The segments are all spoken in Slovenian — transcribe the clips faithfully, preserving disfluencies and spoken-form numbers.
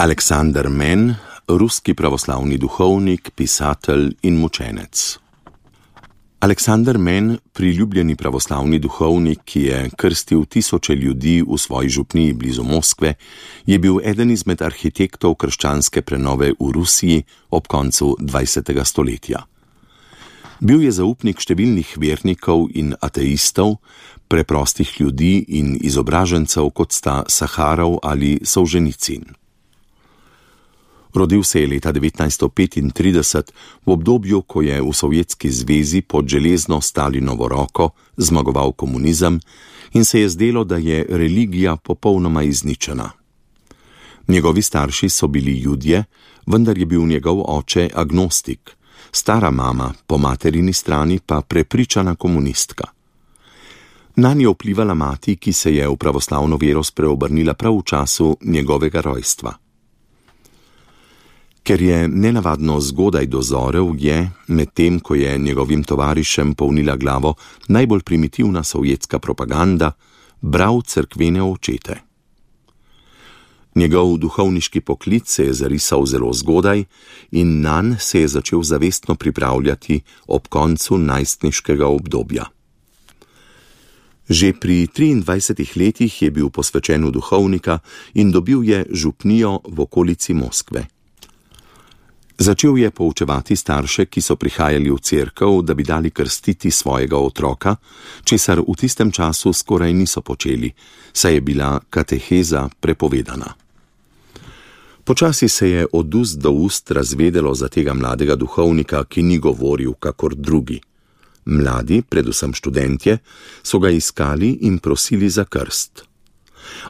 Aleksander Men, ruski pravoslavni duhovnik, pisatelj in mučenec. Aleksander Men, priljubljeni pravoslavni duhovnik, ki je krstil tisoče ljudi v svoji župniji blizu Moskve, je bil eden izmed arhitektov krščanske prenove v Rusiji ob koncu dvajsetega stoletja. Bil je zaupnik številnih vernikov in ateistov, preprostih ljudi in izobražencev, kot sta Saharov ali Solženicin. Rodil se je leta devetnajststo petintrideset, v obdobju, ko je v Sovjetski zvezi pod železno Stalinovo roko zmagoval komunizem in se je zdelo, da je religija popolnoma izničena. Njegovi starši so bili Judje, vendar je bil njegov oče agnostik, stara mama po materini strani pa prepričana komunistka. Nanj je vplivala mati, ki se je v pravoslavno vero spreobrnila prav v času njegovega rojstva. Ker je nenavadno zgodaj dozorel, je, medtem ko je njegovim tovarišem polnila glavo najbolj primitivna sovjetska propaganda, bral cerkvene očete. Njegov duhovniški poklic se je zarisal zelo zgodaj in nanj se je začel zavestno pripravljati ob koncu najstniškega obdobja. Že pri triindvajsetih letih je bil posvečen v duhovnika in dobil je župnijo v okolici Moskve. Začel je poučevati starše, ki so prihajali v cerkev, da bi dali krstiti svojega otroka, česar v tistem času skoraj niso počeli, saj je bila kateheza prepovedana. Počasi se je od ust do ust razvedelo za tega mladega duhovnika, ki ni govoril kakor drugi. Mladi, predvsem študentje, so ga iskali in prosili za krst.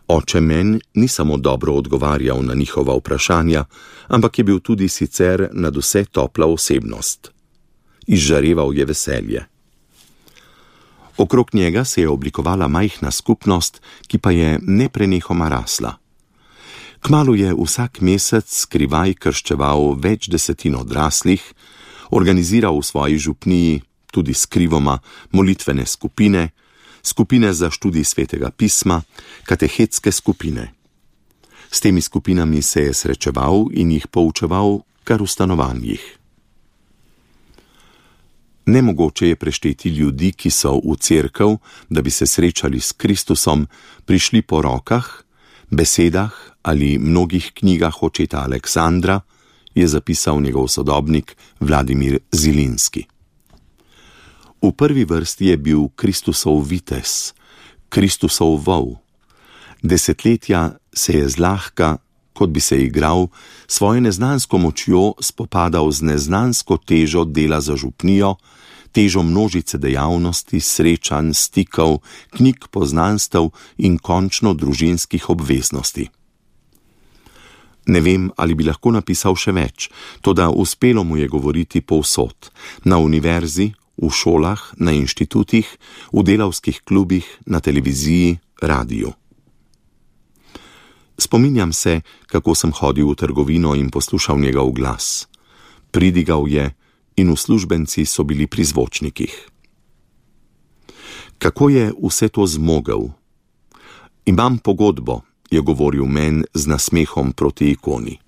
Oče Men ni samo dobro odgovarjal na njihova vprašanja, ampak je bil tudi sicer nadvse topla osebnost. Izžareval je veselje. Okrog njega se je oblikovala majhna skupnost, ki pa je neprenehoma rasla. Kmalu je vsak mesec skrivaj krščeval več desetin odraslih, organiziral v svoji župniji tudi skrivoma molitvene skupine, skupine za študij svetega pisma, katehetske skupine. S temi skupinami se je srečeval in jih poučeval kar v stanovanjih. Nemogoče je prešteti ljudi, ki so v cerkev, da bi se srečali s Kristusom, prišli po rokah, besedah ali mnogih knjigah očeta Aleksandra, je zapisal njegov sodobnik Vladimir Zilinski. V prvi vrsti je bil Kristusov vitez, Kristusov vol. Desetletja se je zlahka, kot bi se igral, svojo neznansko močjo spopadal z neznansko težo dela za župnijo, težo množice dejavnosti, srečanj, stikov, knjig poznanstev in končno družinskih obveznosti. Ne vem, ali bi lahko napisal še več, toda uspelo mu je govoriti povsod, na univerzi, v šolah, na inštitutih, v delavskih klubih, na televiziji, radiju. Spominjam se, kako sem hodil v trgovino in poslušal njegov glas. Pridigal je in uslužbenci so bili pri zvočnikih. Kako je vse to zmogel? Imam pogodbo, je govoril Men z nasmehom proti ikoni.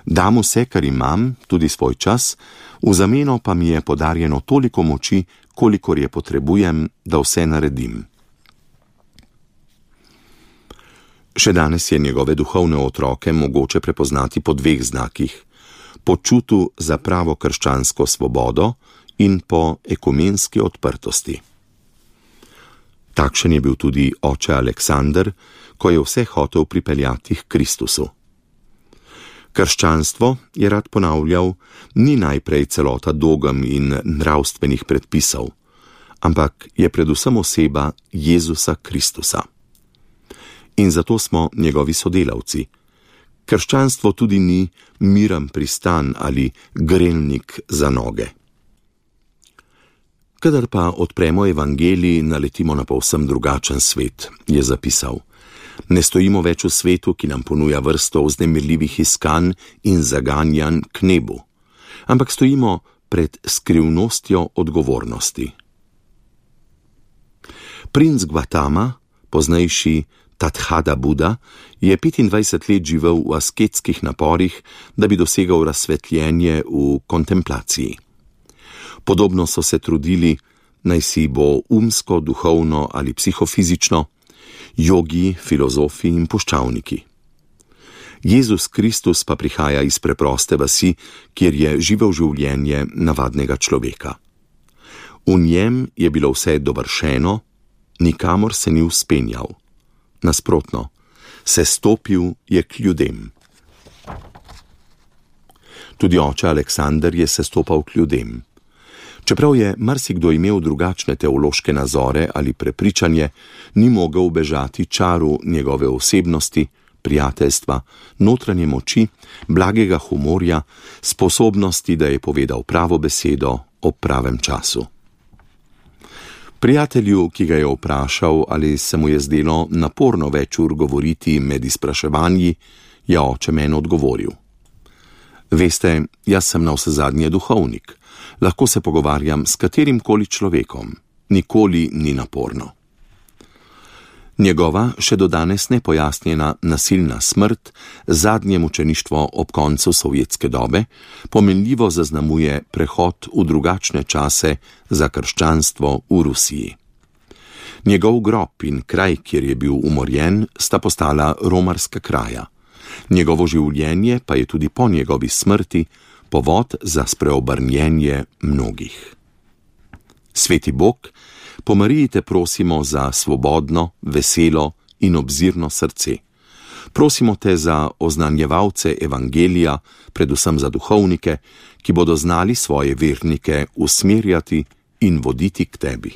Dam vse, kar imam, tudi svoj čas, v zameno pa mi je podarjeno toliko moči, kolikor je potrebujem, da vse naredim. Še danes je njegove duhovne otroke mogoče prepoznati po dveh znakih, po čutu za pravo krščansko svobodo in po ekumenski odprtosti. Takšen je bil tudi oče Aleksander, ko je vse hotel pripeljati k Kristusu. Krščanstvo, je rad ponavljal, ni najprej celota dogem in nravstvenih predpisov, ampak je predvsem oseba Jezusa Kristusa. In zato smo njegovi sodelavci. Krščanstvo tudi ni miren pristan ali grelnik za noge. Kadar pa odpremo evangelij, naletimo na povsem drugačen svet, je zapisal. Ne stojimo več v svetu, ki nam ponuja vrsto vznemirljivih iskanj in zaganjanj k nebu, ampak stojimo pred skrivnostjo odgovornosti. Princ Gvatama, poznejši Tadhada Buda je petindvajset let živel v asketskih naporih, da bi dosegal razsvetljenje v kontemplaciji. Podobno so se trudili, naj si bo umsko, duhovno ali psihofizično, jogi, filozofi in puščavniki. Jezus Kristus pa prihaja iz preproste vasi, kjer je živel življenje navadnega človeka. V njem je bilo vse dovršeno, nikamor se ni vzpenjal. Nasprotno, se stopil je k ljudem. Tudi oče Aleksander je se stopal k ljudem. Čeprav je marsikdo imel drugačne teološke nazore ali prepričanje, ni mogel ubežati čaru njegove osebnosti, prijateljstva, notranje moči, blagega humorja, sposobnosti, da je povedal pravo besedo ob pravem času. Prijatelju, ki ga je vprašal, ali se mu je zdelo naporno več ur govoriti med izpraševanji, je oče meni odgovoril: Veste, jaz sem navsezadnje duhovnik, lahko se pogovarjam s katerimkoli človekom, nikoli ni naporno. Njegova še do danes nepojasnjena nasilna smrt, zadnje mučeništvo ob koncu sovjetske dobe, pomenljivo zaznamuje prehod v drugačne čase za krščanstvo v Rusiji. Njegov grob in kraj, kjer je bil umorjen, sta postala romarska kraja. Njegovo življenje pa je tudi po njegovi smrti povod za spreobrnjenje mnogih. Sveti Bog, po Mariji te prosimo za svobodno, veselo in obzirno srce. Prosimo te za oznanjevalce evangelija, predvsem za duhovnike, ki bodo znali svoje vernike usmerjati in voditi k tebi.